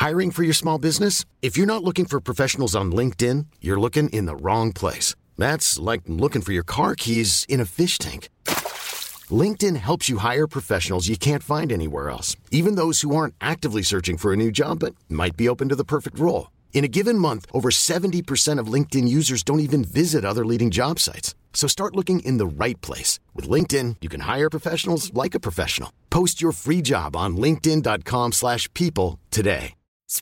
Hiring for your small business? If you're not looking for professionals on LinkedIn, you're looking in the wrong place. That's like looking for your car keys in a fish tank. LinkedIn helps you hire professionals you can't find anywhere else, even those who aren't actively searching for a new job but might be open to the perfect role. In a given month, over 70% of LinkedIn users don't even visit other leading job sites. So start looking in the right place. With LinkedIn, you can hire professionals like a professional. Post your free job on linkedin.com/people today.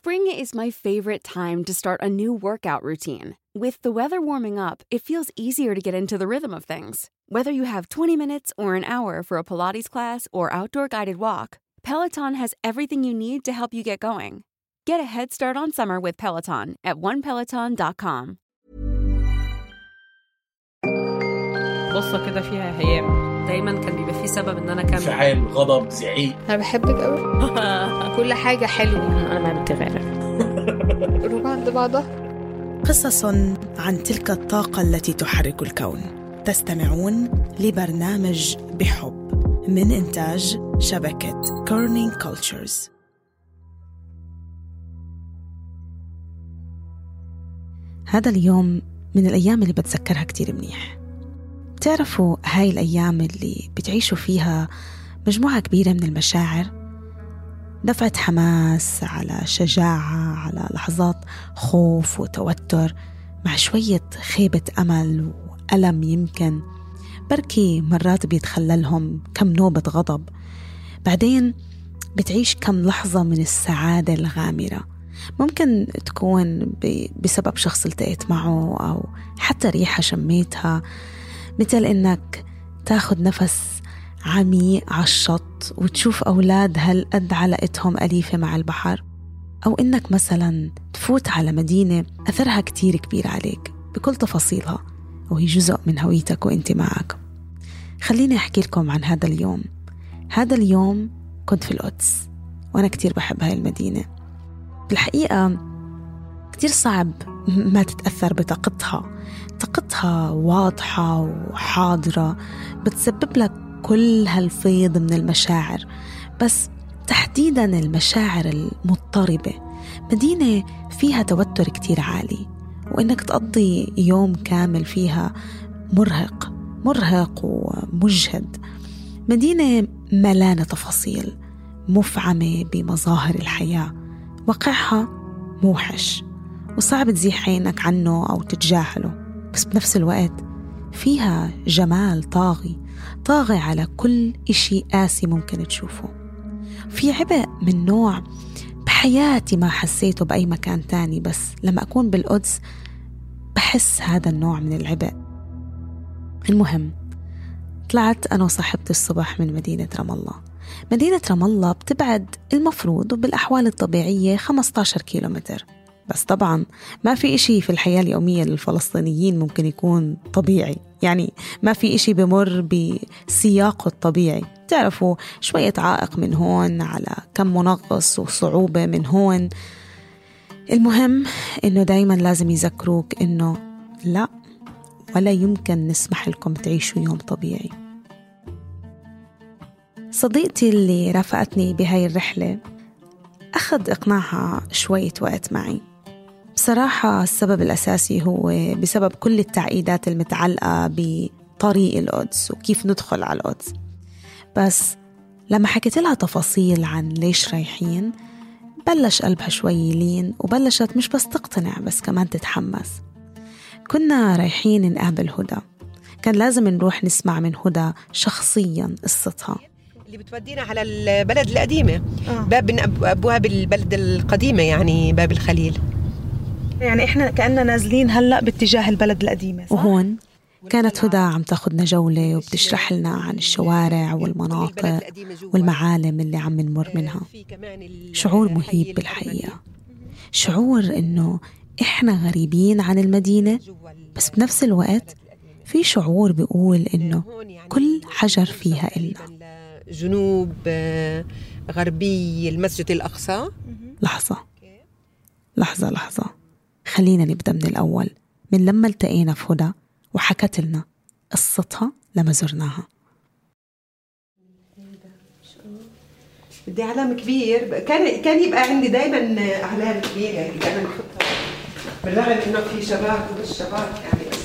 Spring is my favorite time to start a new workout routine. With the weather warming up, it feels easier to get into the rhythm of things. Whether you have 20 minutes or an hour for a Pilates class or outdoor guided walk, Peloton has everything you need to help you get going. Get a head start on summer with Peloton at onepeloton.com. قصة كده فيها هيام. دايما كان بيبقى فيه سبب ان انا كان انفعال، غضب، زعيق. انا بحبك قوي. كل حاجة حلوة. انا ما بتغير. روح عند بعضها. قصص عن تلك الطاقة التي تحرك الكون. تستمعون لبرنامج بحب من إنتاج شبكة كورنينج كولتشرز. هذا اليوم من الأيام اللي بتذكرها كتير منيح. بتعرفوا هاي الأيام اللي بتعيشوا فيها مجموعة كبيرة من المشاعر، دفعة حماس على شجاعة على لحظات خوف وتوتر مع شوية خيبة أمل وألم، يمكن بركي مرات بيتخللهم كم نوبة غضب، بعدين بتعيش كم لحظة من السعادة الغامرة، ممكن تكون بسبب شخص التقيت معه أو حتى ريحة شميتها، مثل إنك تاخد نفس عميق على الشط وتشوف أولاد هالقد علاقتهم أليفة مع البحر، أو إنك مثلا تفوت على مدينة أثرها كتير كبير عليك بكل تفاصيلها وهي جزء من هويتك وإنت معك. خليني أحكي لكم عن هذا اليوم. هذا اليوم كنت في القدس وأنا كتير بحب هاي المدينة. بالحقيقة كتير صعب ما تتأثر بطاقتها واضحة وحاضرة، بتسبب لك كل هالفيض من المشاعر، بس تحديدا المشاعر المضطربة. مدينة فيها توتر كتير عالي، وإنك تقضي يوم كامل فيها مرهق ومجهد. مدينة ملانة تفاصيل، مفعمة بمظاهر الحياة، واقعها موحش وصعب تزيح عينك عنه أو تتجاهله، بس بنفس الوقت فيها جمال طاغي على كل إشي قاسي ممكن تشوفه. في عبء من نوع بحياتي ما حسيته بأي مكان تاني، بس لما أكون بالقدس بحس هذا النوع من العبء. المهم طلعت أنا وصاحبتي الصبح من مدينة رام الله. مدينة رام الله بتبعد المفروض وبالأحوال الطبيعية 15 كيلومتر، بس طبعا ما في إشي في الحياة اليومية للفلسطينيين ممكن يكون طبيعي، يعني ما في إشي بمر بسياقه الطبيعي. تعرفوا شوية عائق من هون على كم منغص وصعوبة من هون. المهم إنه دايما لازم يذكروك إنه لا، ولا يمكن نسمح لكم تعيشوا يوم طبيعي. صديقتي اللي رافقتني بهاي الرحلة أخذ إقناعها شوية وقت معي. بصراحة السبب الأساسي هو بسبب كل التعقيدات المتعلقة بطريق القدس وكيف ندخل على القدس، بس لما حكيت لها تفاصيل عن ليش رايحين بلش قلبها شوي يلين، وبلشت مش بس تقتنع بس كمان تتحمس. كنا رايحين نقابل هدى، كان لازم نروح نسمع من هدى شخصيا قصتها اللي بتودينا على البلد القديمة. باب من أبواب البلد القديمة، يعني باب الخليل. يعني إحنا كأننا نازلين هلأ باتجاه البلد القديمة، صح؟ وهون كانت هدى عم تاخدنا جولة وبتشرح لنا عن الشوارع والمناطق والمعالم اللي عم نمر منها. شعور مهيب بالحقيقة، شعور إنه إحنا غريبين عن المدينة، بس بنفس الوقت في شعور بيقول إنه كل حجر فيها إلنا. جنوب غربي المسجد الأقصى. لحظة خلينا نبدأ من الأول، من لما التقينا في هدى وحكت لنا قصتها لما زرناها. بدي علم كبير. كان يبقى عندي دايما أعلام كبيرة يعني دايما أحطها، بالرغم إنه في شباك ومش شباك يعني. بس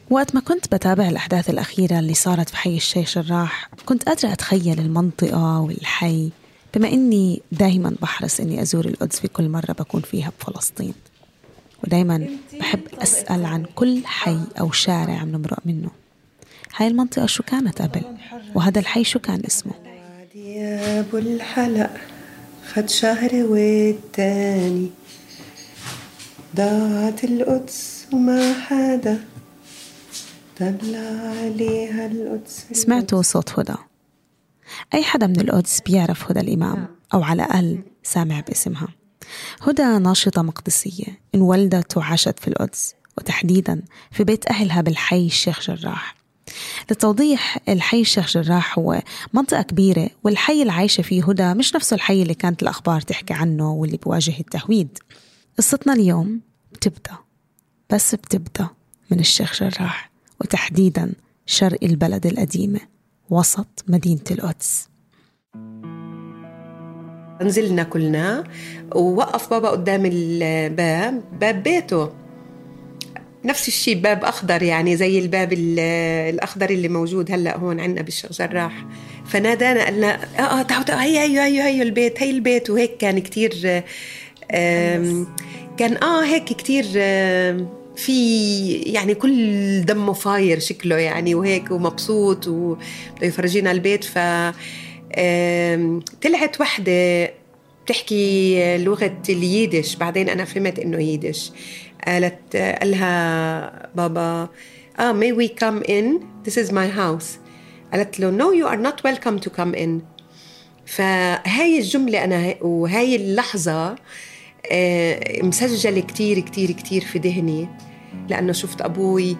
وقت ما كنت بتابع الأحداث الأخيرة اللي صارت في حي الشيخ جراح كنت قادرة أتخيل المنطقة والحي، بما إني دايما بحرص إني أزور القدس في كل مرة بكون فيها بفلسطين، ودايما بحب أسأل عن كل حي أو شارع بنمرق منه. هاي المنطقة شو كانت قبل؟ وهذا الحي شو كان اسمه؟ يا أبو الحلق خد شهر والتاني ضاعت القدس وما حدا طلع عليها القدس. سمعتوا صوت هدى؟ أي حدا من القدس بيعرف هدى الإمام، أو على الأقل سامع باسمها. هدى ناشطة مقدسية، انولدت وعاشت في القدس، وتحديدا في بيت أهلها بالحي الشيخ جراح. للتوضيح، الحي الشيخ جراح هو منطقة كبيرة، والحي اللي عايشة فيه هدى مش نفسه الحي اللي كانت الأخبار تحكي عنه واللي بواجه التهويد. قصتنا اليوم بتبدأ من الشيخ جراح، وتحديدا شرق البلد القديمة وسط مدينة القدس. نزلنا كلنا ووقف بابا قدام باب بيته، نفس الشيء، باب أخضر يعني زي الباب الأخضر اللي موجود هلأ هون عندنا بالشيخ جراح. فنادانا قالنا تعالوا هي البيت، هي البيت. وهيك كان كتير كان هيك كتير في يعني كل دمه فاير شكله يعني، وهيك ومبسوط وبده يفرجينا البيت. ف طلعت وحدة بتحكي لغة الييدش، بعدين أنا فهمت إنه ييدش. قالها بابا may we come in, this is my house. قالت له no you are not welcome to come in. فهاي الجملة أنا وهاي اللحظة مسجلة كتير كتير كتير في ذهني، لأنه شفت أبوي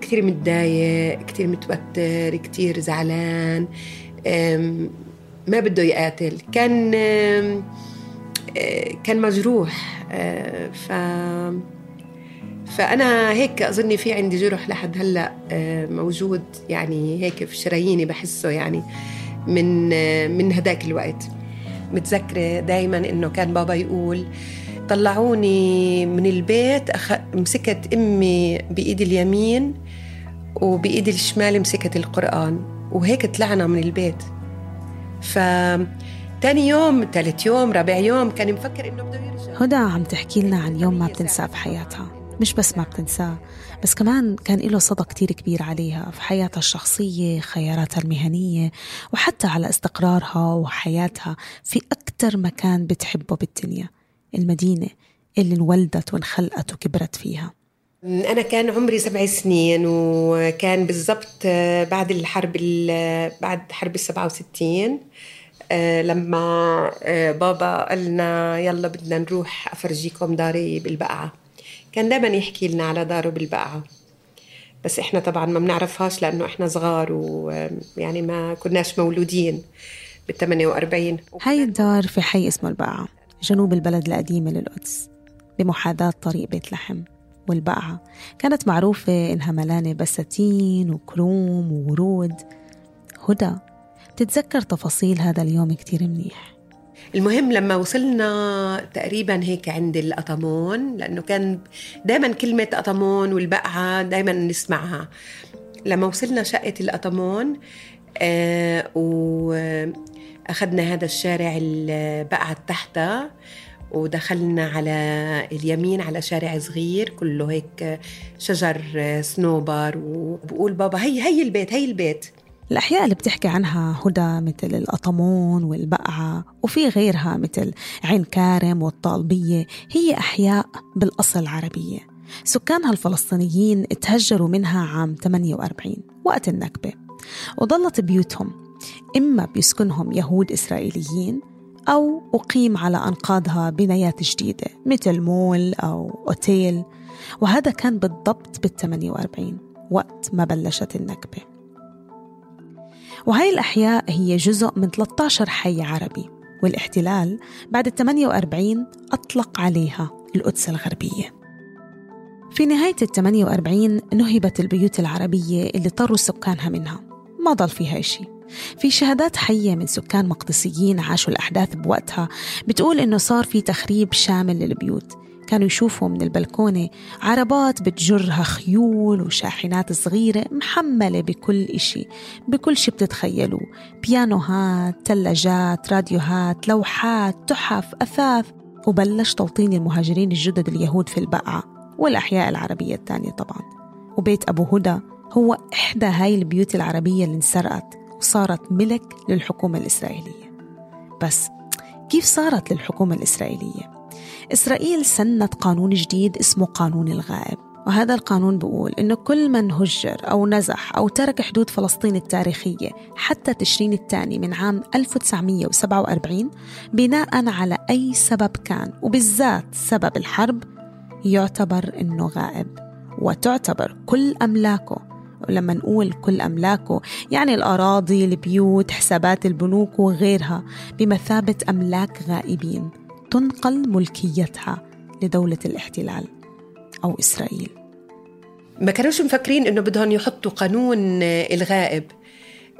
كتير متضايق، كتير متوتر، كتير زعلان، ما بده يقاتل، كان مجروح. فأنا هيك أظني في عندي جرح لحد هلأ موجود يعني هيك في شراييني، بحسه يعني من هداك الوقت. متذكرة دايما إنه كان بابا يقول طلعوني من البيت، مسكت أمي بإيد اليمين وبإيد الشمال مسكت القرآن، وهيك طلعنا من البيت. تاني يوم، ثالث يوم، رابع يوم كان مفكر إنه بده يرجع. هدى عم تحكي لنا عن يوم ما بتنساه في حياتها. مش بس ما بتنساه، بس كمان كان له صدى كتير كبير عليها في حياتها الشخصية، خياراتها المهنية، وحتى على استقرارها وحياتها في أكتر مكان بتحبه بالدنيا، المدينة اللي انولدت وانخلقت وكبرت فيها. أنا كان عمري 7 سنين، وكان بالضبط بعد حرب 67 لما بابا قالنا يلا بدنا نروح أفرجيكم داري بالبقعة. كان دائما يحكي لنا على داره بالبقعة، بس إحنا طبعا ما بنعرفهاش لأنه إحنا صغار ويعني ما كناش مولودين بال48. هاي الدار في حي اسمه البقعة جنوب البلد القديمة للقدس، بمحاذاة طريق بيت لحم. والبقعة كانت معروفة إنها ملانة بساتين وكروم وورود. هدى تتذكر تفاصيل هذا اليوم كتير منيح. المهم لما وصلنا تقريبا هيك عند القطمون، لأنه كان دايما كلمة قطمون والبقعة دايما نسمعها. لما وصلنا شقة القطمون وأخذنا هذا الشارع البقعة تحتها، ودخلنا على اليمين على شارع صغير كله هيك شجر صنوبر، وبقول بابا هي البيت. الأحياء اللي بتحكي عنها هدى مثل القطمون والبقعة، وفي غيرها مثل عين كارم والطالبية، هي أحياء بالأصل عربية. سكانها الفلسطينيين تهجروا منها عام 48 وقت النكبة، وظلت بيوتهم إما بيسكنهم يهود إسرائيليين أو أقيم على أنقاضها بنايات جديدة مثل مول أو أوتيل. وهذا كان بالضبط بال48 وقت ما بلشت النكبة. وهي الأحياء هي جزء من 13 حي عربي، والاحتلال بعد 48 أطلق عليها القدس الغربية. في نهاية 48 نهبت البيوت العربية اللي طروا سكانها منها، ما ضل فيها إشي. في شهادات حية من سكان مقدسيين عاشوا الأحداث بوقتها بتقول إنه صار في تخريب شامل للبيوت. كانوا يشوفوا من البلكونة عربات بتجرها خيول وشاحنات صغيرة محملة بكل إشي، بكل شي بتتخيلوا، بيانوهات، تلاجات، راديوهات، لوحات، تحف، أثاث. وبلش توطين المهاجرين الجدد اليهود في البقعة والأحياء العربية الثانية طبعا. وبيت أبو هدى هو إحدى هاي البيوت العربية اللي انسرقت وصارت ملك للحكومة الإسرائيلية. بس كيف صارت للحكومة الإسرائيلية؟ إسرائيل سنت قانون جديد اسمه قانون الغائب، وهذا القانون بيقول إنه كل من هجر أو نزح أو ترك حدود فلسطين التاريخية حتى تشرين الثاني من عام 1947 بناء على أي سبب كان، وبالذات سبب الحرب، يعتبر إنه غائب، وتعتبر كل أملاكه. ولما نقول كل أملاكه يعني الأراضي، البيوت، حسابات البنوك وغيرها بمثابة أملاك غائبين تنقل ملكيتها لدولة الاحتلال أو إسرائيل. ما كانوش مفكرين إنه بدهم يحطوا قانون الغائب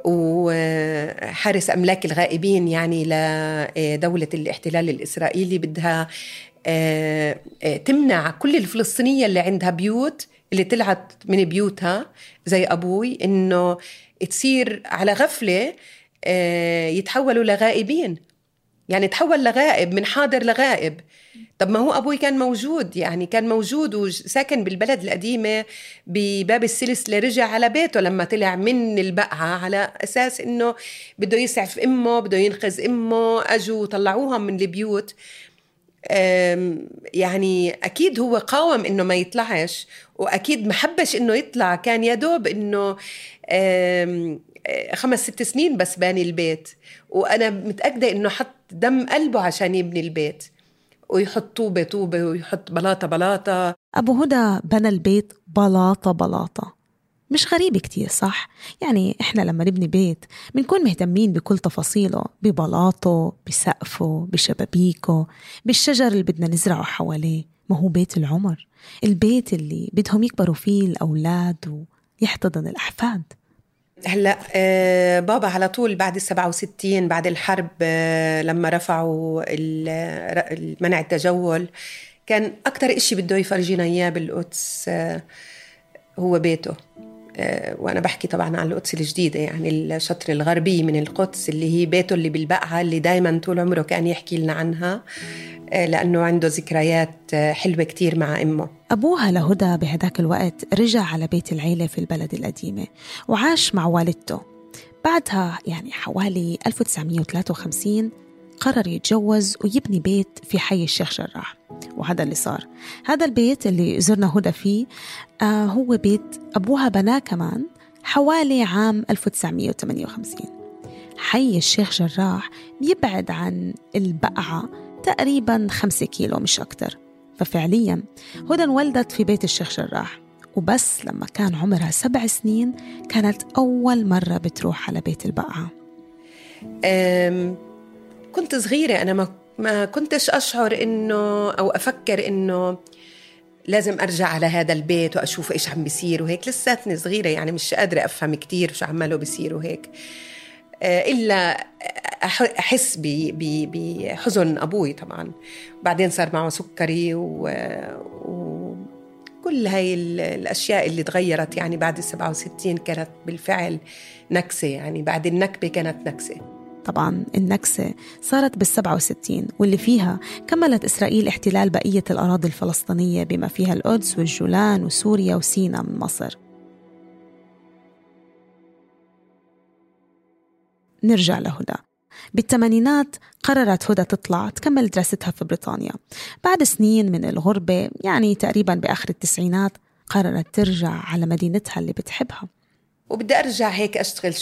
وحارس أملاك الغائبين يعني لدولة الاحتلال الإسرائيلي بدها تمنع كل الفلسطينية اللي عندها بيوت، اللي طلعت من بيوتها زي أبوي، إنه تصير على غفلة يتحولوا لغائبين. يعني تحول لغائب، من حاضر لغائب. طب ما هو أبوي كان موجود، يعني كان موجود وساكن بالبلد القديمة بباب السلسلة، رجع على بيته لما طلع من البقعة على أساس إنه بده يسعف أمه، بده ينقذ أمه. أجوا طلعوها من البيوت. يعني أكيد هو قاوم إنه ما يطلعش، وأكيد محبش إنه يطلع. كان يدوب إنه 5-6 سنين بس باني البيت، وأنا متأكدة إنه حط دم قلبه عشان يبني البيت، ويحط طوبة ويحط بلاطة. أبو هدى بنى البيت بلاطة. مش غريب كتير صح؟ يعني إحنا لما نبني بيت بنكون مهتمين بكل تفاصيله، ببلاطه، بسقفه، بشبابيكه، بالشجر اللي بدنا نزرعه حواليه. ما هو بيت العمر، البيت اللي بدهم يكبروا فيه الأولاد ويحتضن الأحفاد. هلأ بابا على طول بعد 67 بعد الحرب لما رفعوا منع التجول، كان أكتر إشي بده يفرجينا إياه بالقدس هو بيته. وأنا بحكي طبعا عن القدس الجديدة، يعني الشطر الغربي من القدس، اللي هي بيته اللي بالبقعة، اللي دايما طول عمره كان يحكي لنا عنها لأنه عنده ذكريات حلوة كتير مع أمه. أبوها لهدى بهداك الوقت رجع على بيت العيلة في البلد القديمة وعاش مع والدته. بعدها يعني حوالي 1953 قرر يتجوز ويبني بيت في حي الشيخ جراح، وهذا اللي صار. هذا البيت اللي زرنا هدى فيه هو بيت أبوها بناه كمان حوالي عام 1958. حي الشيخ جراح بيبعد عن البقعة تقريباً 5 كيلو مش أكتر. ففعلياً هدى انولدت في بيت الشيخ جراح، وبس لما كان عمرها 7 سنين كانت أول مرة بتروح على بيت البقعة. كنت صغيرة، أنا ما كنتش أشعر إنه أو أفكر إنه لازم أرجع على هذا البيت وأشوف إيش عم بيصير وهيك. لساتني صغيرة، يعني مش قادرة أفهم كتير شو عماله بيصير وهيك، إلا أحس بحزن أبوي طبعا. بعدين صار معه سكري وكل هاي الأشياء اللي تغيرت. يعني بعد 67 كانت بالفعل نكسة، يعني بعد النكبة كانت نكسة. طبعا النكسة صارت بال67 واللي فيها كملت إسرائيل احتلال بقية الأراضي الفلسطينية بما فيها القدس والجولان وسوريا وسيناء من مصر. نرجع لهدى. بالثمانينات قررت هدى تطلع تكمل دراستها في بريطانيا. بعد سنين من الغربة، يعني تقريبا بآخر التسعينات، قررت ترجع على مدينتها اللي بتحبها. وبدي أرجع هيك أشتغل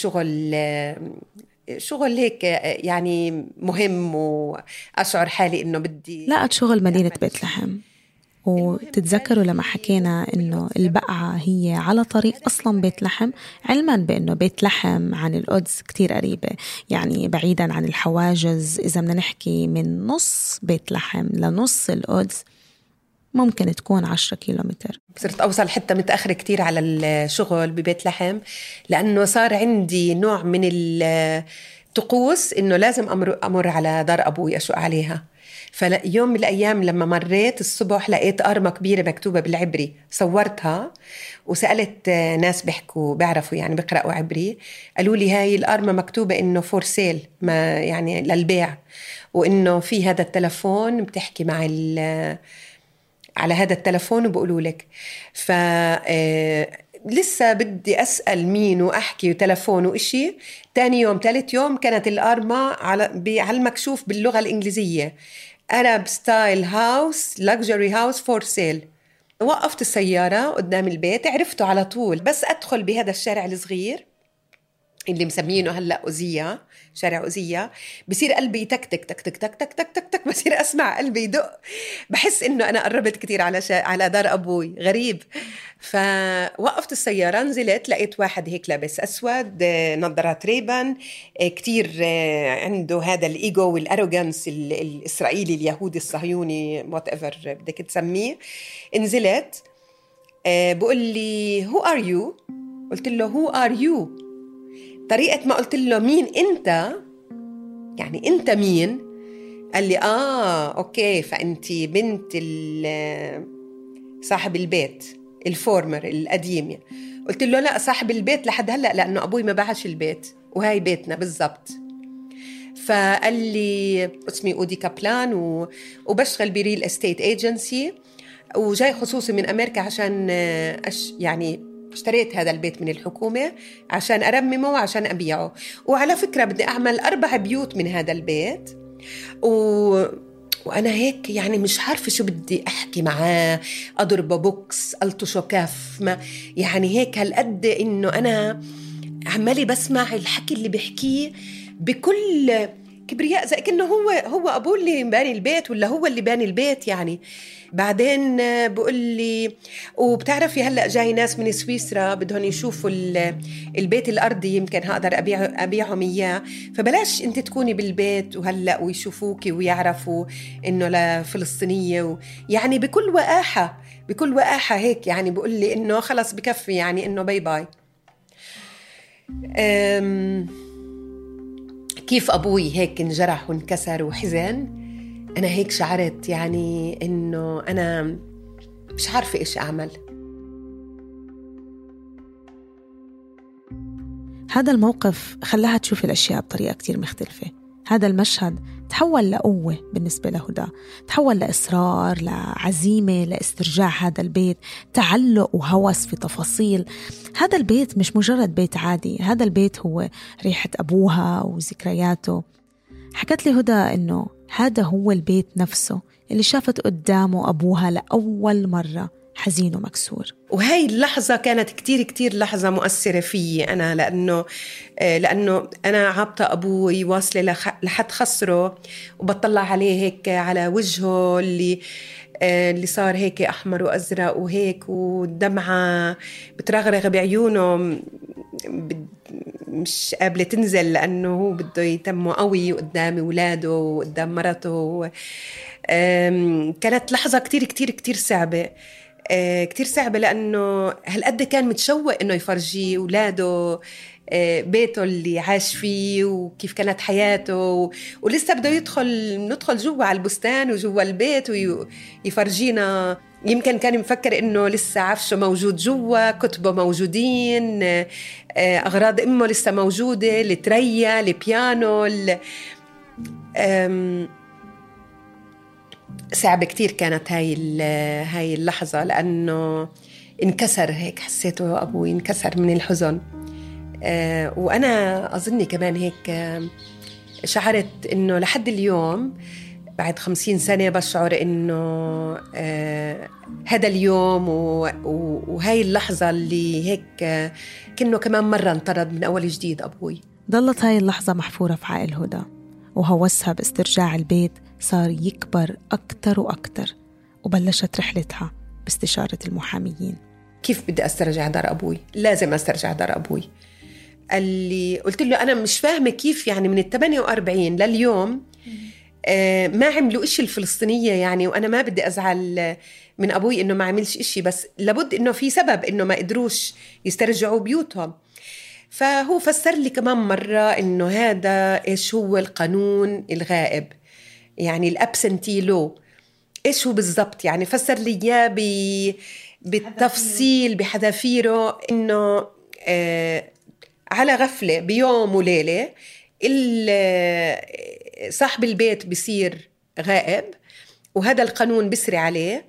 شغل هيك يعني مهم، وأشعر حالي إنه بدي. لقت شغل مدينة بيت لحم. وتتذكروا لما حكينا إنه البقعة هي على طريق أصلاً بيت لحم، علماً بإنه بيت لحم عن القدس كتير قريبة، يعني بعيداً عن الحواجز. إذا بدنا نحكي من نص بيت لحم لنص القدس ممكن تكون 10 كيلومتر. صرت أوصل حتى متأخرة كتير على الشغل ببيت لحم، لأنه صار عندي نوع من الطقوس إنه لازم أمر على دار أبوي أشق عليها. فيوم من الأيام لما مريت الصبح لقيت أرمة كبيرة مكتوبة بالعبري، صورتها وسألت ناس بيعرفوا يعني بيقرأوا عبري، قالوا لي هاي الأرمة مكتوبة إنه فور سيل، ما يعني للبيع، وإنه في هذا التلفون بتحكي مع على هذا التلفون وبقولوا لك. لسه بدي أسأل مين وأحكي وتلفون وإشي. تاني يوم ثالث يوم كانت الأرمة على المكشوف باللغة الإنجليزية Arab style house luxury house for sale. وقفت السيارة قدام البيت، عرفته على طول. بس أدخل بهذا الشارع الصغير اللي مسمينه هلأ أوزية، شارع أوزية، بصير قلبي يتكتك تك تك تك تك تك تك تك، بصير أسمع قلبي يدق، بحس إنه أنا قربت كتير على دار أبوي. غريب. فوقفت السيارة، نزلت، لقيت واحد هيك لابس أسود، نظارات ريبان، كتير عنده هذا الإيجو والأروغانس الإسرائيلي اليهودي الصهيوني whatever بدك تسميه. نزلت، بقول لي who are you؟ قلت له who are you؟ طريقة ما قلت له مين أنت، يعني أنت مين؟ قال لي أوكي، فأنتي بنت صاحب البيت الفورمر القديم. قلت له لا، صاحب البيت لحد هلأ، لأنه أبوي ما باعش البيت وهاي بيتنا بالضبط. فقال لي اسمي أودي كابلان وبشتغل بريل استيت ايجنسي، وجاي خصوصي من أمريكا عشان يعني اشتريت هذا البيت من الحكومة عشان أرممه وعشان أبيعه. وعلى فكرة بدي أعمل 4 بيوت من هذا البيت. وأنا هيك يعني مش عارفة شو بدي أحكي معاه، أضربه بوكس، ألطشه كف، ما يعني هيك هالقد إنه أنا عمالي بسمع الحكي اللي بيحكيه بكل كبرياء، زي كأنه هو أبوه اللي باني البيت ولا هو اللي باني البيت يعني. بعدين بقول لي وبتعرفي هلأ جاي ناس من سويسرا بدهم يشوفوا البيت الأرضي، يمكن هقدر أبيعهم إياه، فبلاش أنت تكوني بالبيت وهلأ ويشوفوكي ويعرفوا إنه لفلسطينية يعني بكل وقاحة هيك يعني. بقول لي إنه خلص بكفي، يعني إنه باي باي. كيف أبوي هيك انجرح وانكسر وحزن، أنا هيك شعرت يعني إنه أنا مش عارفة إيش أعمل. هذا الموقف خلاها تشوف الأشياء بطريقة كتير مختلفة. هذا المشهد تحول لقوة بالنسبة لهدى، تحول لإصرار، لعزيمة، لاسترجاع هذا البيت، تعلق وهوس في تفاصيل. هذا البيت مش مجرد بيت عادي، هذا البيت هو ريحة أبوها وذكرياته. حكت لي هدى إنه هذا هو البيت نفسه اللي شافت قدامه أبوها لأول مرة حزين ومكسور. وهاي اللحظة كانت كتير كتير لحظة مؤثرة فيي أنا، لأنه أنا عابطة أبوي واصلة لحد خسره، وبطلع عليه هيك على وجهه اللي صار هيك أحمر وأزرق وهيك، والدمعة بترغرغ بعيونه مش قابلة تنزل، لأنه هو بده يتمه قوي قدام ولاده وقدام مرته. كانت لحظة كتير كتير كتير صعبة، كتير صعبة، لأنه هالقد كان متشوق إنه يفرجي ولاده بيته اللي عاش فيه وكيف كانت حياته، ولسه بده ندخل جوا على البستان وجوا البيت ويفرجينا. يمكن كان مفكر إنه لسه عفشه موجود جوا، كتبه موجودين، أغراض أمه لسه موجودة، التريا، البيانو. صعبة كتير كانت هاي اللحظة، لأنه انكسر هيك، حسيته أبوي انكسر من الحزن. وأنا أظني كمان هيك شعرت إنه لحد اليوم بعد 50 سنة بشعر إنه هذا اليوم وهاي اللحظة اللي هيك كأنه كمان مرة انطرد من أول جديد أبوي. ضلت هاي اللحظة محفورة في عقل هدى، وهوسها باسترجاع البيت صار يكبر أكتر وأكتر، وبلشت رحلتها باستشارة المحاميين. كيف بدي أسترجع دار أبوي؟ لازم أسترجع دار أبوي. اللي قلت له أنا مش فاهمة كيف يعني من 48 لليوم ما عملوا إشي الفلسطينية يعني. وأنا ما بدي أزعل من أبوي إنه ما عملش إشي، بس لابد إنه في سبب إنه ما قدروش يسترجعوا بيوتهم. فهو فسر لي كمان مرة إنه هذا إيش هو القانون الغائب، يعني الأبسنتي لو. إيش هو بالضبط يعني؟ فسر لي إياه بالتفصيل بحذافيره، إنه على غفلة بيوم وليلة صاحب البيت بيصير غائب، وهذا القانون بيسري عليه،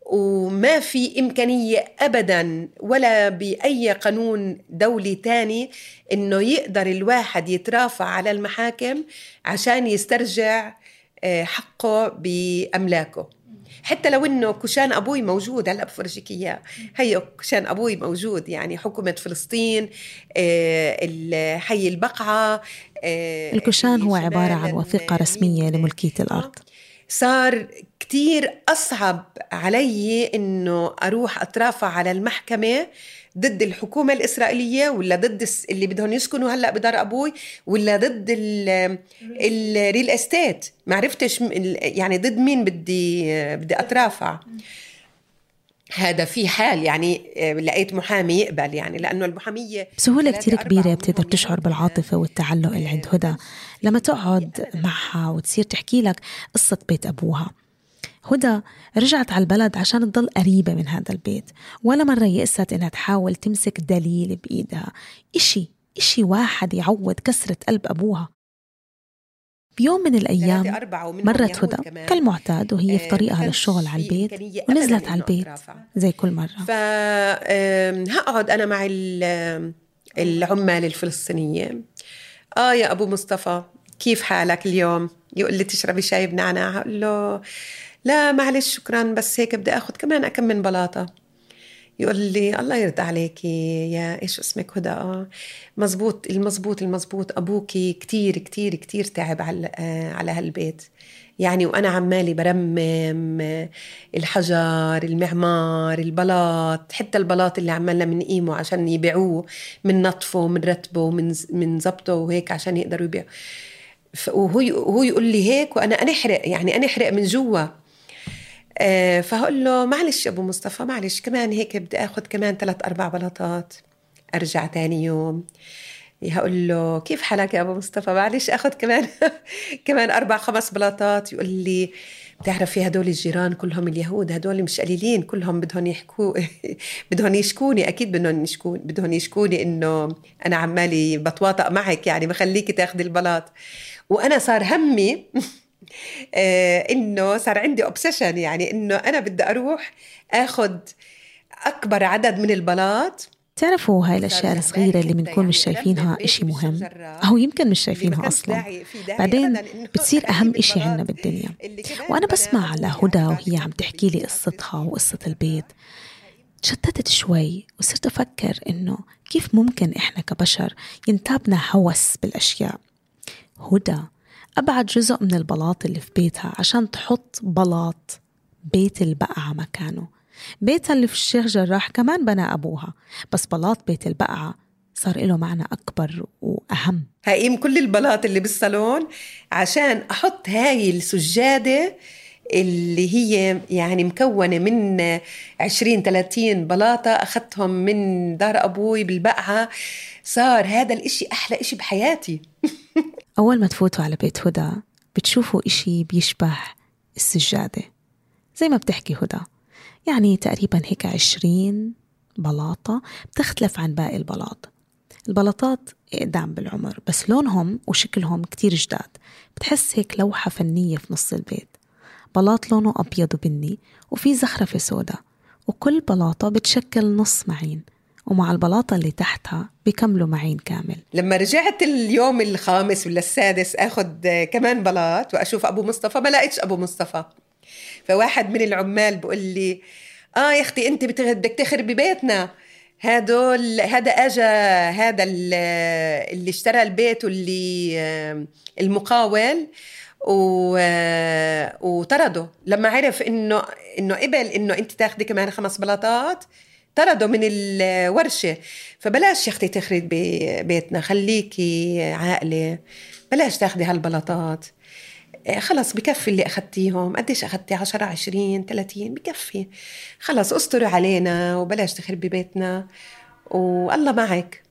وما في إمكانية أبداً ولا بأي قانون دولي تاني إنه يقدر الواحد يترافع على المحاكم عشان يسترجع حقه بأملاكه. حتى لو إنه كشان أبوي موجود، هلأ بفرجيك إياه، هي كشان أبوي موجود، يعني حكومة فلسطين، حي البقعة. الكشان هو عبارة عن وثيقة رسمية لملكية الأرض. صار كتير أصعب علي إنه أروح أترافع على المحكمة ضد الحكومة الإسرائيلية، ولا ضد اللي بدهم يسكنوا هلأ بدار أبوي، ولا ضد الريل استيت. ما عرفتش يعني ضد مين بدي أترافع. هذا في حال يعني لقيت محامي يقبل، يعني لأنه المحامية بسهولة كتير كبيرة بتقدر تشعر بالعاطفة والتعلق اللي عند هدى لما تقعد معها وتصير تحكي لك قصة بيت أبوها. هدى رجعت على البلد عشان تضل قريبة من هذا البيت، ولا مرة يأست إنها تحاول تمسك دليل بإيدها، إشي واحد يعوض كسرة قلب أبوها. بيوم من الأيام مرت هدى كالمعتاد وهي في طريقها للشغل على البيت، ونزلت على البيت زي كل مرة. فهقعد أنا مع العمال الفلسطينية. يا أبو مصطفى كيف حالك اليوم؟ يقول لي تشربي شاي بنعناع؟ هقول له لا معلش شكرا، بس هيك بدي أخذ كمان أكم من بلاطة. يقول لي الله يرضى عليكي يا إيش اسمك هدى. مزبوط المزبوط أبوكي كتير كتير كتير تعب على هالبيت يعني، وأنا عمالي برمم الحجر، المعمار، البلاط، حتى البلاط اللي عمالنا منقيمه عشان يبيعوه، من نطفه من رتبه من زبطه وهيك عشان يقدروا يبيعوا. وهو يقول لي هيك وأنا أنحرق من جوا. فهقول له معلش أبو مصطفى معلش، كمان هيك بدي أخذ كمان 3-4 بلاطات أرجع تاني يوم. هقول له كيف حالك يا أبو مصطفى؟ معلش أخذ كمان 4-5 بلاطات. يقول لي بتعرفي هدول الجيران كلهم اليهود، هدول مش قليلين، كلهم بدهم يشكوني، أكيد بدهم يشكوني إنه أنا عمالي بتواطأ معك، يعني بخليكي تاخدي البلاط. وأنا صار همي إنه صار عندي أوبسيشن، يعني إنه أنا بدي أروح أخذ أكبر عدد من البلاط. تعرفوا هاي الأشياء الصغيرة اللي بنكون مش شايفينها إشي مهم، أو يمكن مش شايفينها أصلا، بعدين بتصير أهم إشي عنا بالدنيا. وأنا بسمع لهدى وهي عم تحكي لي قصتها وقصة البيت، تشتتت شوي وصرت أفكر إنه كيف ممكن إحنا كبشر ينتابنا هوس بالأشياء. هدى أبعد جزء من البلاط اللي في بيتها عشان تحط بلاط بيت البقعة مكانه. بيتها اللي في الشيخ جراح كمان بنى أبوها، بس بلاط بيت البقعة صار له معنى أكبر وأهم. هقيم كل البلاط اللي بالصالون عشان أحط هاي السجادة اللي هي يعني مكونة من 20-30 بلاطة أخذتهم من دار أبوي بالبقعة. صار هذا الإشي أحلى إشي بحياتي. أول ما تفوتوا على بيت هدى بتشوفوا إشي بيشبه السجادة زي ما بتحكي هدى، يعني تقريبا هيك 20 بلاطة، بتختلف عن باقي البلاطات إقدام بالعمر، بس لونهم وشكلهم كتير جداد. بتحس هيك لوحة فنية في نص البيت. بلاط لونه أبيض وبني وفي زخرفة سودا، وكل بلاطة بتشكل نص معين، ومع البلاطة اللي تحتها بيكملوا معين كامل. لما رجعت اليوم الخامس ولا السادس أخذ كمان بلاط وأشوف أبو مصطفى، ما لقيتش أبو مصطفى. فواحد من العمال بقول لي يا أختي أنت بدك تخربي بيتنا، هذا أجا هذا اللي اشترى البيت واللي المقاول وطرده لما عرف إنه قبل إنه أنت تاخدي كمان 5 بلاطات، طرده من الورشة. فبلاش يا أختي تخربي بيتنا، خليكي عاقلة، بلاش تاخدي هالبلاطات. خلص بكفي اللي أخدتيهم. قديش أخدتي؟ 10 20 30 بكفي، خلص أستروا علينا وبلاش تخربي بيتنا والله معك.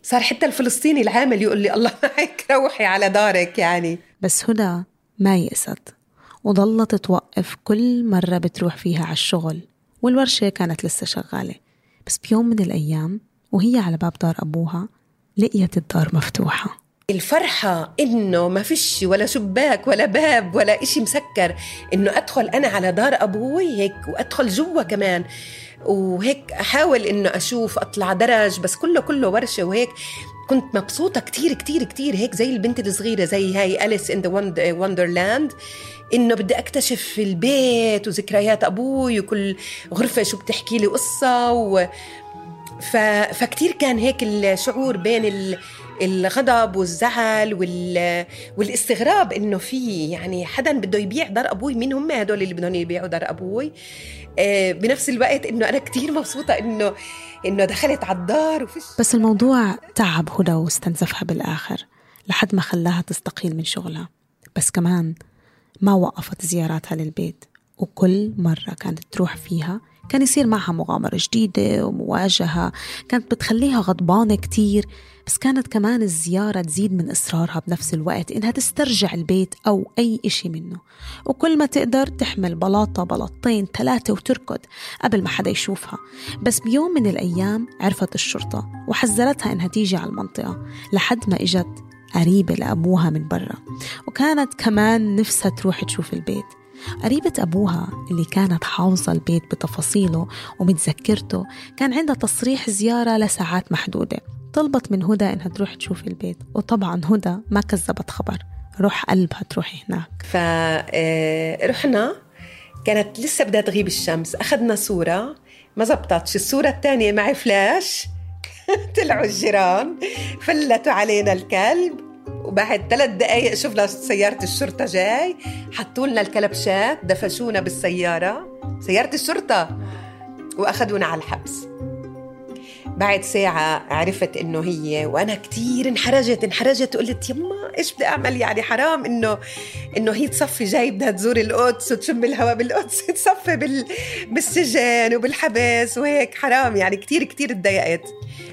صار حتى الفلسطيني العامل يقول لي الله معك روحي على دارك يعني. بس هدى ما يأست وظلت توقف كل مرة بتروح فيها على الشغل، والورشة كانت لسه شغالة. بس بيوم من الأيام وهي على باب دار أبوها لقيت الدار مفتوحة. الفرحة إنه ما فيش ولا شباك ولا باب ولا إشي مسكر، إنه أدخل أنا على دار أبوي هيك وأدخل جوا كمان وهيك أحاول إنه أشوف أطلع درج، بس كله ورشة وهيك. كنت مبسوطة كتير كتير كتير هيك زي البنت الصغيرة، زي هاي أليس إن ذا وندرلاند، إنه بدي أكتشف البيت وذكريات أبوي وكل غرفة شو بتحكي لي قصة فكتير كان هيك الشعور بين الغضب والزعل والاستغراب إنه في يعني حدا بده يبيع دار أبوي. مين هم هدول اللي بدهم يبيعوا دار أبوي؟ بنفس الوقت إنه أنا كتير مبسوطة إنه دخلت على الدار بس الموضوع تعب هدى واستنزفها بالآخر لحد ما خلاها تستقيل من شغلها. بس كمان ما وقفت زياراتها للبيت، وكل مرة كانت تروح فيها كان يصير معها مغامرة جديدة ومواجهة كانت بتخليها غضبانة كتير. بس كانت كمان الزيارة تزيد من إصرارها بنفس الوقت إنها تسترجع البيت أو أي إشي منه، وكل ما تقدر تحمل بلاطة بلاطتين 3 وتركض قبل ما حدا يشوفها. بس بيوم من الأيام عرفت الشرطة وحذرتها إنها تيجي على المنطقة، لحد ما إجت قريبة لأبوها من برا، وكانت كمان نفسها تروح تشوف البيت. قريبة أبوها اللي كانت حافظة البيت بتفاصيله ومتذكرته كان عندها تصريح زيارة لساعات محدودة. طلبت من هدى إنها تروح تشوف البيت، وطبعا هدى ما كذبت خبر، روح قلبها تروحي هناك. فرحنا، كانت لسه بدها تغيب الشمس، أخذنا صورة ما زبطتش، الصورة الثانية معي فلاش طلعوا الجيران فلتوا علينا الكلب، وبعد 3 دقايق شفنا سيارة الشرطة جاي، حطوا لنا الكلبشات، دفشونا بالسيارة، سيارة الشرطة، وأخذونا على الحبس. بعد ساعة عرفت إنه هي، وأنا كتير انحرجت وقلت يما إيش بدي أعمل يعني؟ حرام إنه هي تصفي جاي بدها تزور القدس وتشم الهواء بالقدس، تصفي بالسجن وبالحبس وهيك، حرام يعني. كتير اتضايقت.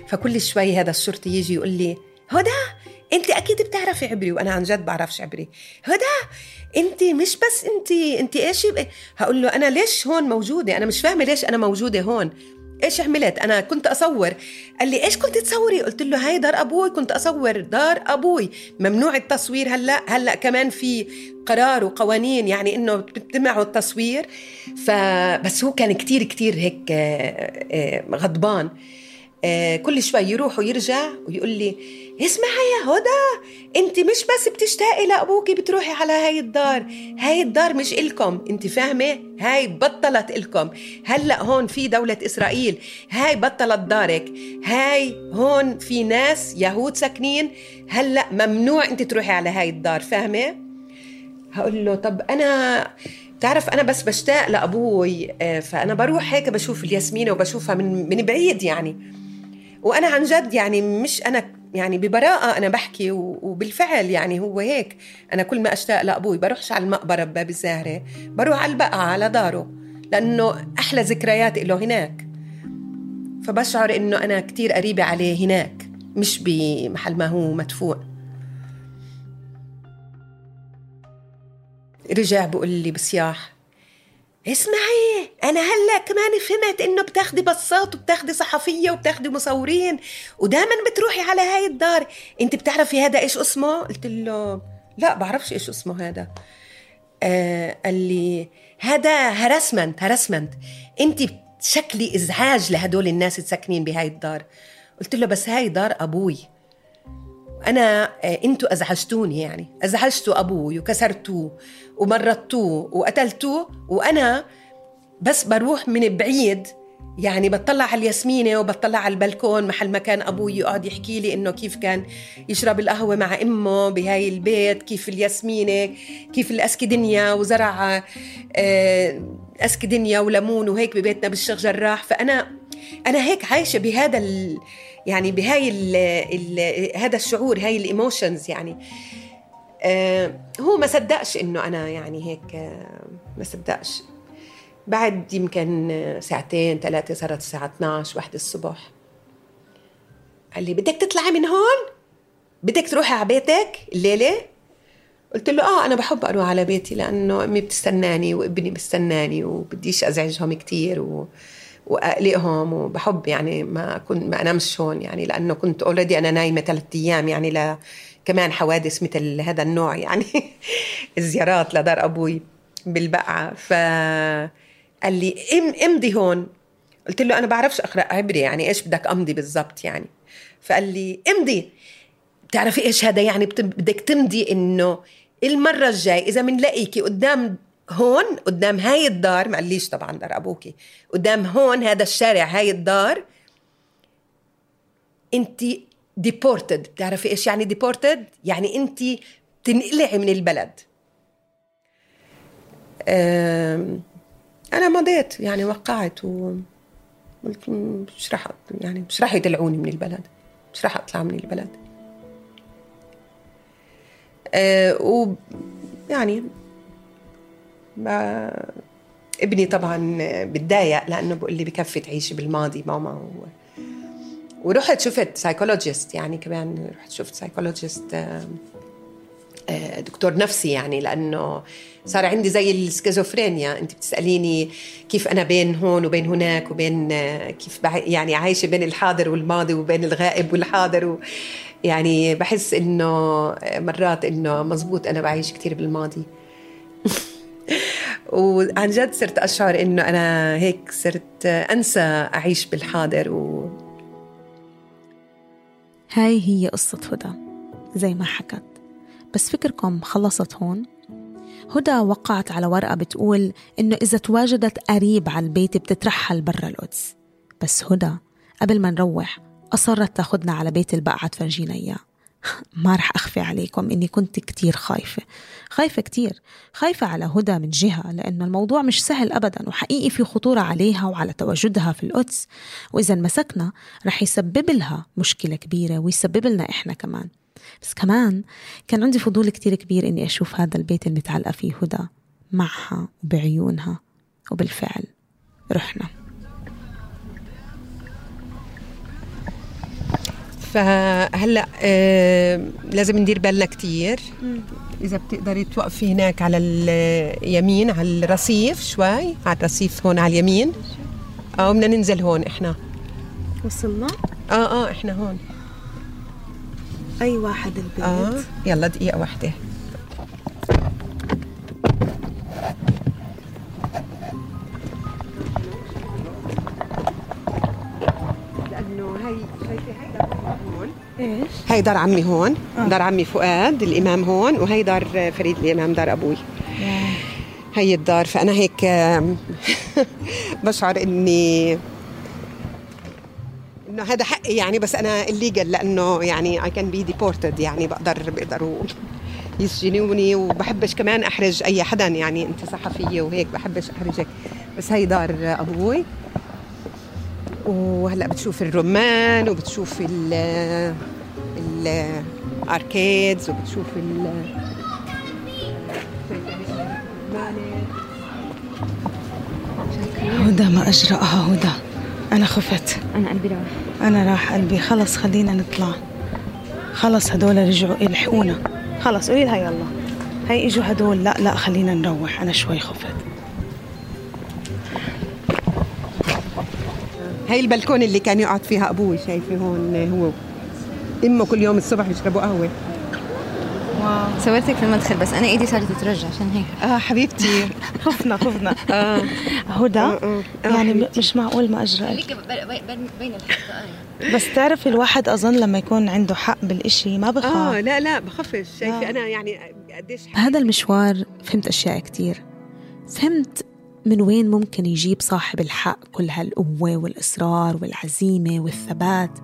فكل شوي هذا الشرطي يجي يقول لي هدى انت اكيد بتعرفي عبري، وانا عن جد بعرفش عبري. هدى انت مش بس انت ايش هقول له انا ليش هون موجوده؟ انا مش فاهمه ليش انا موجوده هون، ايش عملت؟ انا كنت اصور. قال لي ايش كنت تصوري؟ قلت له هاي دار ابوي، كنت اصور دار ابوي، ممنوع التصوير. هلا كمان في قرار وقوانين يعني انه بتمنعوا التصوير. فبس هو كان كتير هيك غضبان. كل شوي يروح ويرجع ويقول لي اسمعي يا هدى، انت مش بس بتشتاقي لأبوكي بتروحي على هاي الدار مش إلكم، انت فاهمة؟ هاي بطلت إلكم، هلأ هون في دولة إسرائيل، هاي بطلت دارك، هاي هون في ناس يهود ساكنين، هلأ ممنوع انت تروحي على هاي الدار، فاهمة؟ هقول له طب أنا تعرف أنا بس بشتاق لأبوي، فأنا بروح هيك بشوف الياسمينة وبشوفها من بعيد يعني، وأنا عن جد يعني مش أنا يعني ببراءة أنا بحكي وبالفعل يعني هو هيك. أنا كل ما أشتاق لأبوي بروحش على المقبرة بباب الزهرة، بروح على البقعة على داره، لأنه أحلى ذكريات له هناك. فبشعر إنه أنا كتير قريبة عليه هناك، مش بمحل ما هو مدفون. رجع بقول لي بصياح اسمعي أنا هلأ كمان فهمت إنه بتاخدي بصات وبتاخدي صحفية وبتاخدي مصورين ودائما بتروحي على هاي الدار، أنت بتعرفي هذا إيش اسمه؟ قلت له لا بعرفش إيش اسمه هذا. قال لي هذا هرسمنت، أنت شكلي إزعاج لهدول الناس الساكنين بهاي الدار. قلت له بس هاي دار أبوي، أنا أنتوا أزعجتوني، يعني أزعجتوا أبوي وكسرتوه ومرضتوه وقتلتوه، وأنا بس بروح من بعيد يعني بطلع على الياسمينة وبطلع على البلكون محل ما كان أبوي يقعد يحكي لي إنه كيف كان يشرب القهوة مع أمه بهاي البيت، كيف الياسمينة، كيف الأسكدنيا وزرع أسكدنيا وليمون وهيك ببيتنا بالشيخ جراح. فأنا هيك عايشة بهذا يعني بهاي هذا الشعور، هاي الإيموشنز يعني. هو ما صدقش إنه أنا يعني هيك، ما صدقش. بعد يمكن ساعتين 3 صارت الساعة 12 1 الصبح، قال لي بدك تطلعي من هون؟ بدك تروحي على بيتك الليلة؟ قلت له أنا بحب أروح على بيتي لأنه أمي بتستناني وابني بستناني وبديش أزعجهم كتير وأقلقهم، وبحب يعني ما أنامش هون يعني، لأنه كنت أولردي أنا نايمة 3 أيام يعني كمان حوادث مثل هذا النوع يعني الزيارات لدار أبوي بالبقعة. فقال لي امضي هون. قلت له أنا بعرفش أقرأ عبري، يعني إيش بدك أمضي بالضبط يعني؟ فقال لي امضي. تعرفي إيش هذا يعني؟ بدك تمضي إنه المرة الجاي إذا منلاقيكي قدام هون، قدام هاي الدار، ما قاليش طبعا دار أبوكي، قدام هون هذا الشارع هاي الدار، انتي deported. بتعرفي إيش يعني deported؟ يعني انتي تنقلعي من البلد. أنا مضيت يعني، وقعت وقلت مش راح يطلعوني من البلد، مش راح أطلع من البلد. ويعني ابني طبعا بتضايق لأنه بقول لي بكفي تعيشي بالماضي ماما. ورحت شفت سايكولوجيست يعني، كمان رحت شفت سايكولوجيست دكتور نفسي يعني، لأنه صار عندي زي السكيزوفرينيا. أنت بتسأليني كيف أنا بين هون وبين هناك، وبين كيف يعني عايشة بين الحاضر والماضي وبين الغائب والحاضر يعني بحس إنه مرات إنه مزبوط أنا بعيش كتير بالماضي وعن جد صرت أشعر إنه أنا هيك صرت أنسى أعيش بالحاضر هاي هي قصة هدى زي ما حكت. بس فكركم خلصت هون؟ هدى وقعت على ورقة بتقول إنه إذا تواجدت قريب على البيت بتترحل برا القدس. بس هدى قبل ما نروح أصرت تاخدنا على بيت البقعة تفرجينا إياه. ما رح أخفي عليكم إني كنت كتير خايفة كتير، خايفة على هدى من جهة لأنه الموضوع مش سهل أبدا، وحقيقي في خطورة عليها وعلى تواجدها في القدس، وإذا مسكنا رح يسبب لها مشكلة كبيرة ويسبب لنا إحنا كمان. بس كمان كان عندي فضول كتير كبير إني أشوف هذا البيت المتعلقة فيه هدى معها وبعيونها، وبالفعل رحنا. فهلأ لازم ندير بالنا كتير. إذا بتقدري توقفي هناك على اليمين على الرصيف شوي، على الرصيف هون على اليمين، أو بدنا ننزل هون. إحنا وصلنا؟ إحنا هون. أي واحد البيت؟ يلا دقيقة واحدة. لأنه هاي شايفة هاي هون. إيش؟ هاي دار عمي هون، دار عمي فؤاد الإمام هون، وهي دار فريد الإمام دار أبوي. هاي الدار. فأنا هيك بشعر إنه هذا حقي يعني، بس أنا الليجل لأنه يعني I can be deported يعني بيقدروا يسجنوني، وبحبش كمان أحرج أي حدا يعني، أنت صحفية وهيك بحبش أحرجك. بس هاي دار أبوي. وهلأ بتشوف الرمان وبتشوف الأركيدز وبتشوف هدى ما أجرأها هدى. أنا خفت، أنا قلبي راح، أنا راح قلبي. خلص خلينا نطلع، خلص هدول رجعوا يلحقونا. خلص قولي لها يلا، هاي إجوا هدول. لا خلينا نروح، أنا شوي خفت. هاي البلكون اللي كان يقعد فيها أبوي، شايفه هون هو إمه كل يوم الصبح يشربوا قهوة. واو. صورتك في المدخل بس أنا إيدي صارت تترجع عشان هيك. حبيبتي خفنا هدى. يعني مش معقول ما أجرأت. بين الحق. بس تعرف الواحد أظن لما يكون عنده حق بالإشي ما بخاف. لا بخافش. شايفة أنا يعني قديش بهذا المشوار فهمت أشياء كتير. فهمت من وين ممكن يجيب صاحب الحق كل هالقوة والإصرار والعزيمة والثبات،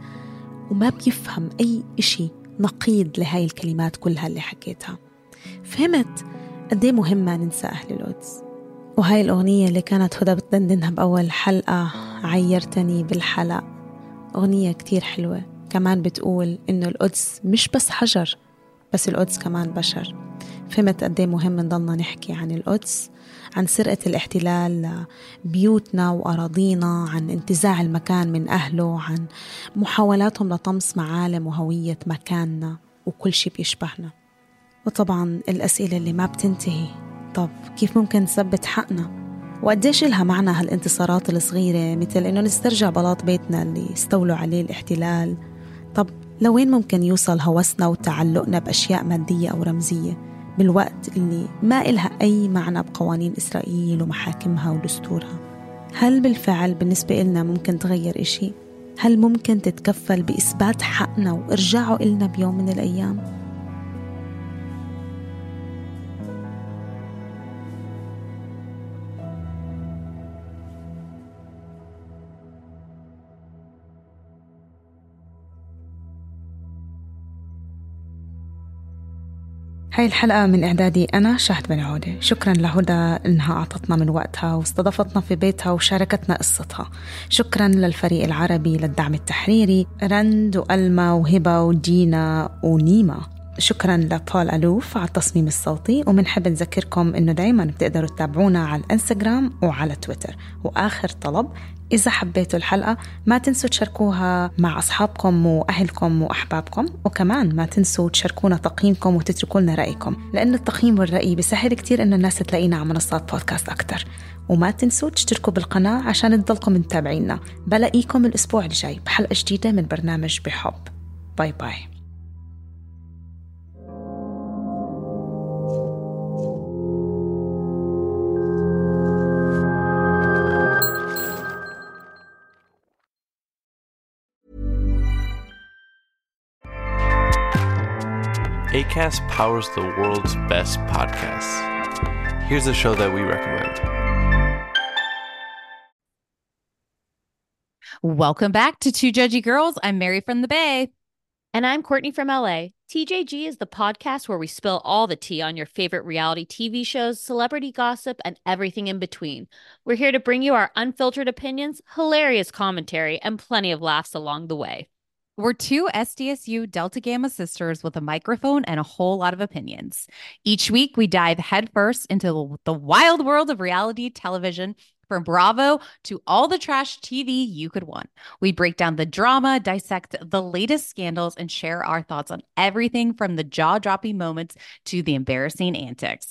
وما بيفهم أي إشي نقيض لهاي الكلمات كلها اللي حكيتها. فهمت قديه مهمة ننسى أهل القدس. وهاي الأغنية اللي كانت هدى بتدندنها بأول حلقة، عيرتني بالحلق، أغنية كتير حلوة. كمان بتقول إنه القدس مش بس حجر، بس القدس كمان بشر. فهمت قديه مهم نضلنا نحكي عن القدس، عن سرقة الاحتلال لبيوتنا وأراضينا، عن انتزاع المكان من أهله، عن محاولاتهم لطمس معالم وهوية مكاننا وكل شيء بيشبهنا. وطبعا الأسئلة اللي ما بتنتهي، طب كيف ممكن نثبت حقنا؟ وقديش لها معنى هالانتصارات الصغيرة، مثل إنه نسترجع بلاط بيتنا اللي استولوا عليه الاحتلال؟ طب لوين ممكن يوصل هوسنا وتعلقنا بأشياء مادية أو رمزية بالوقت اللي ما إلها أي معنى بقوانين إسرائيل ومحاكمها ودستورها؟ هل بالفعل بالنسبة إلنا ممكن تغير إشي؟ هل ممكن تتكفل بإثبات حقنا وإرجاعه إلنا بيوم من الأيام؟ هاي الحلقة من إعدادي أنا شهد بن عودة. شكرا لهدى إنها أعطتنا من وقتها واستضافتنا في بيتها وشاركتنا قصتها. شكرا للفريق العربي للدعم التحريري، رند وألما وهبة ودينا ونيمة. شكرا لبول ألوف على التصميم الصوتي، ومنحب نذكركم إنه دايما بتقدروا تتابعونا على الانستغرام وعلى تويتر. وآخر طلب، إذا حبيتوا الحلقة ما تنسوا تشاركوها مع أصحابكم وأهلكم وأحبابكم، وكمان ما تنسوا تشاركونا تقييمكم وتتركوا لنا رأيكم، لأن التقييم والرأي بيسهل كتير إنه الناس تلاقينا على منصات بودكاست أكتر. وما تنسوا تشتركوا بالقناة عشان تضلكم متابعينا. بلاقيكم الأسبوع الجاي بحلقة جديدة من برنامج بحب. باي باي. Acast powers the world's best podcasts. Here's a show that we recommend. Welcome back to Two Judgy Girls. I'm Mary from the Bay. And I'm Courtney from LA. TJG is the podcast where we spill all the tea on your favorite reality TV shows, celebrity gossip, and everything in between. We're here to bring you our unfiltered opinions, hilarious commentary, and plenty of laughs along the way. We're two SDSU Delta Gamma sisters with a microphone and a whole lot of opinions. Each week, we dive headfirst into the wild world of reality television, from Bravo to all the trash TV you could want. We break down the drama, dissect the latest scandals, and share our thoughts on everything from the jaw-dropping moments to the embarrassing antics.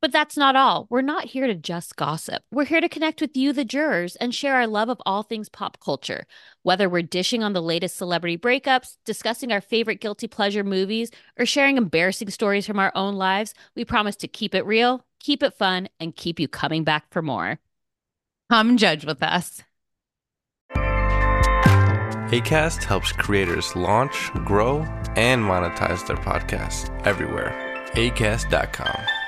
But that's not all. We're not here to just gossip. We're here to connect with you, the jurors, and share our love of all things pop culture. Whether we're dishing on the latest celebrity breakups, discussing our favorite guilty pleasure movies, or sharing embarrassing stories from our own lives, we promise to keep it real, keep it fun, and keep you coming back for more. Come judge with us. Acast helps creators launch, grow, and monetize their podcasts everywhere. Acast.com.